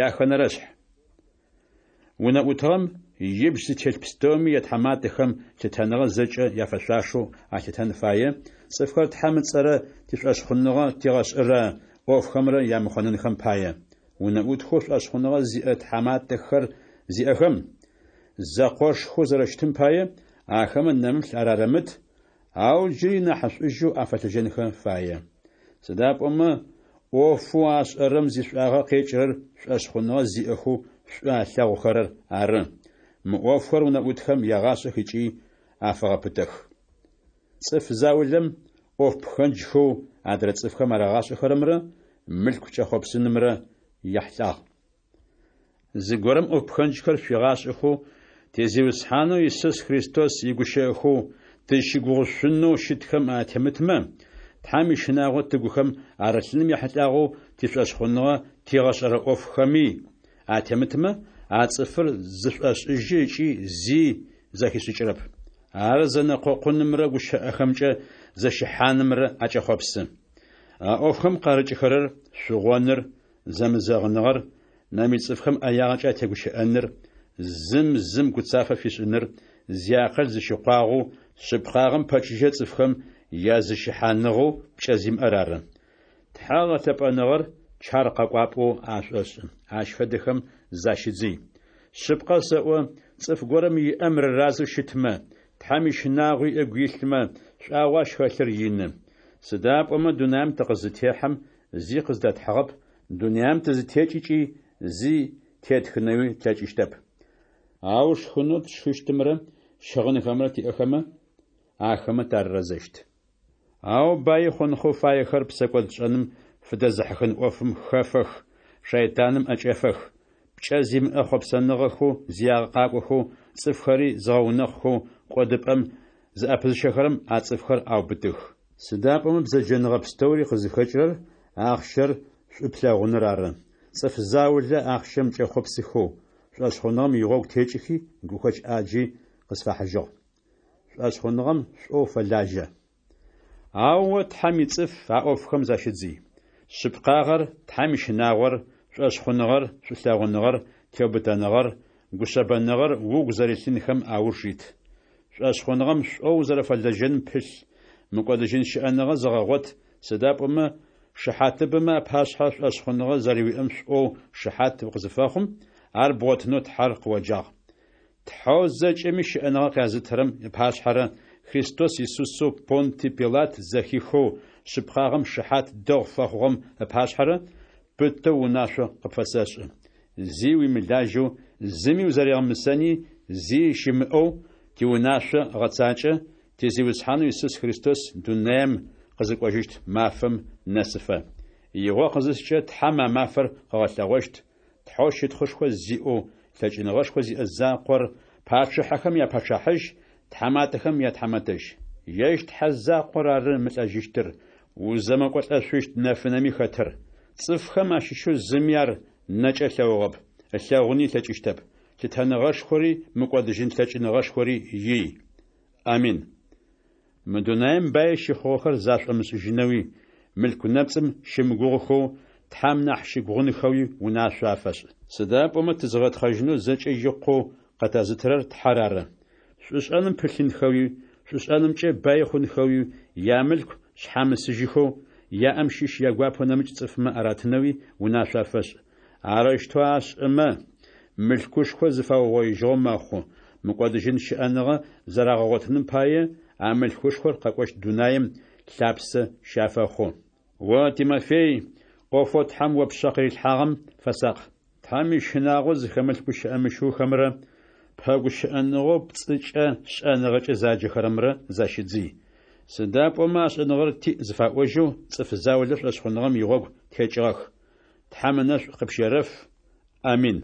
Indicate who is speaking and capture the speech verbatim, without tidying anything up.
Speaker 1: Яхэнэрэшъхь. Унэӏутыгъэм ибжь зытелъ пстэуми ятхьаматэхэм лъытэныгъэ зэкӏэ яфэшъуашэу алъытэн фае, цӏыфхэр Тхьэм ыцӏэрэ тишӏошъхъуныгъэ тигъэшӏырэ ӏофхэмрэ ямыхъонэнхэм пае. Унэӏутхэу шӏошъхъуныгъэ зиӏэ тхьаматэхэр зиӏэхэм, зэкъошхэу зэрэщытым пае, ахэмэ нэмыплъ арарэмыт, ау джыри нахьышӏужьэу афэлэжьэнхэ фае. Сыда пӏомэ ӏофэу ашӏэрэм зишӏуагъэ къекӏырэр шӏошъхъуныгъэ зиӏэхэу шӏу алъэгъухэрэр ары. Мы ӏофхэр унэӏутхэм ягъашӏэх ыкӏи афэгъэпытэх. Цӏыф заулэм ӏоф пхэнджхэу адрэ цӏыфхэм арагъашӏэхэрэмрэ мылъку кӏэхъопсынымрэ яхьылӏагъ. Зыгорэм ӏоф пхэнджхэр шъуигъашӏэхэу ти Зиусхьанэу Исус Христос игущыӏэхэу тызщыгугъышъунэу щытхэм атемытмэ, Тхьэм ищынагъо тыгухэм арылъыным ехьылӏагъэу тишӏошъхъуныгъэ тигъэшӏэрэ ӏофхэми атемытмэ, а цӏыфыр зышӏошӏыжьы ыкӏи зи зэхишӏыкӏырэп. Ар зэнэкъокъунымрэ гущыӏэхэмкӏэ зэщыхьанымрэ акӏэхъопсы. А ӏофхэм къарыкӏхэрэр шъугъоныр, зэмызэгъыныгъэр, нэмыкӏ цӏыфхэм ӏэягъэкӏэ атегущыӏэныр, зым зым гуцафэ фишӏыныр, зиакъыл зыщыкъуагъэу, шъыпкъагъэм пэчыжьэ цӏыфхэм языщыхьаныгъэу пкӏэ зимыӏэр ары. Тхьэ гъэлъэпӏэныгъэр чар къэкӏуапӏэу ашӏошӏы. Ащ фэдэхэм защыдзый. Шъыпкъэ сэӏо, цӏыф горэм иӏэм рыразэу щытмэ, Тхьэм ищынагъуи ыгу илъмэ, шӏуагъэу ащ хэлъыр ины. Сыда пӏомэ дунаим тыкъызытехьэм зи къыздэтхьыгъэп, дунаим тызытекӏыкӏи зи тетхынэуи тлъэкӏыщтэп. Ау шхынэу тшхыщтымрэ щыгъынхэмрэ тиӏэхэмэ, ахэмэ тарырэзэщт. Ау баи хъунхэу фаехэр псэкӏодшӏэным фыдэзыхьыхын ӏофым хэфэх, шэйтаным ӏэкӏэфэх. Пкӏэ зимыӏэ хъопсэныгъэхэу зиягъэ къакӏохэу, цӏыфхэри зыгъэунэхъухэу кӏодыпӏэм зыӏэпызыщэхэрэм а цӏыфхэр аубытых. Сыда пӏомэ бзэджэныгъэ пстэури къызыхэкӏырэр ахъщэр шӏу плъэгъуныр ары. Цӏыф заулэ ахъщэм кӏэхъопсыхэу, шӏошъхъуныгъэм игъогу текӏыхи, гухэкӏ ӏаджи къысфахьыжьыгъ. Шӏошъхъуныгъэм шӏоу фэлажьэ. Ау о, Тхьэм ицӏыф, а ӏофхэм защыдзый. Шъыпкъагъэр, Тхьэм ищынагъор, шӏошъхъуныгъэр, шӏулъэгъуныгъэр, теубытэныгъэр, гушъэбэныгъэр угу зэрилъынхэм ауж ит. Шӏошъхъуныгъэм шӏоу узэрэфэлэжьэным пылъ, мыкӏодыжьын щыӏэныгъэ зэгъэгъот, сыда пӏомэ шыхьатыбэмэ апашъхьэ шӏошъхъуныгъэ зэрэуиӏэм шӏоу шыхьат укъызыфэхъум, ар бгъотынэу Тхьэр къыоджагъ. Тхьэу зэкӏэми щыӏэныгъэ къязытырэм ыпашъхьэрэ Христос Исусэу Понтий Пилат зэхихэу шъыпкъагъэм шыхьат дэгъу фэхъугъэм ыпашъхьэрэ пытэу унашъо къыпфэсэшӏы. Зи уимылажьэу, зыми узэригъэмысэни зи щымыӏэу тиунашъо гъэцакӏэ, ти Зиусхьанэу Исус Христос дунаем къызыкӏожьыщт мафэм нэсыфэ. Игъо къызыскӏэ Тхьэм а мафэр къыгъэлъэгъощт, Тхьэу щытхъушхо зиӏэу, лъэкӏыныгъэшхо зиӏэ закъор, пачъыхьэхэм я Пачъыхьэжь, тхьаматэхэм я Тхьамэтэжь. Ежь Тхьэ закъор ары мылӏэжьыщтыр, узэмыкӏолӏэшъущт нэфынэми хэтыр. Цӏыфхэм ащыщэу зыми ар нэкӏэ ылъэгъугъэп, ылъэгъуни ылъэкӏыщтэп. Лъытэныгъэшхори мыкӏодыжьын лъэкӏыныгъэшхори ий. Амин. Мы дунаим баи щыхъугъэхэр зашӏомышӏыжьынэуи, мылъку нэпцӏым щымыгугъыхэу, Тхьэм нахь щыгугъынхэуи унашъо афэшӏ. Сыда пӏомэ тызыгъэтхъэжьынэу зэкӏэ икъоу къытэзытырэр Тхьэр ары. Шӏушӏэным пылъынхэуи, шӏушӏэнымкӏэ баи хъунхэуи, ямылъку шъхьамысыжьыхэу, яӏэм щыщ ягуапэу нэмыкӏ цӏыфмэ аратынэуи унашъо афэшӏ. Арэущтэу ашӏэмэ, мылъкушхо зыфаугъоижьыгъэу мэхъу, мыкӏодыжьын щыӏэныгъэ зэрагъэгъотыным пае, а мылъкушхор къэкӏощт дунаем лъапсэ щафэхъу. О, Тимофей, ӏофэу Тхьэм о пшъэ къырилъхьагъэм фэсакъ. Тхьэм ищынагъо зыхэмылъ гущыӏэ мыщыухэмрэ пэгущыӏэныгъэу пцӏыкӏэ шӏэныгъэкӏэ заджэхэрэмрэ защыдзый. Сыда пӏомэ а шӏэныгъэр тиӏ зыфаӏожьэу цӏыф заулэ шӏошъхъуныгъэм игъогу текӏыгъэх. Тхьэм ынэшӏу къыпщерэф. Амин.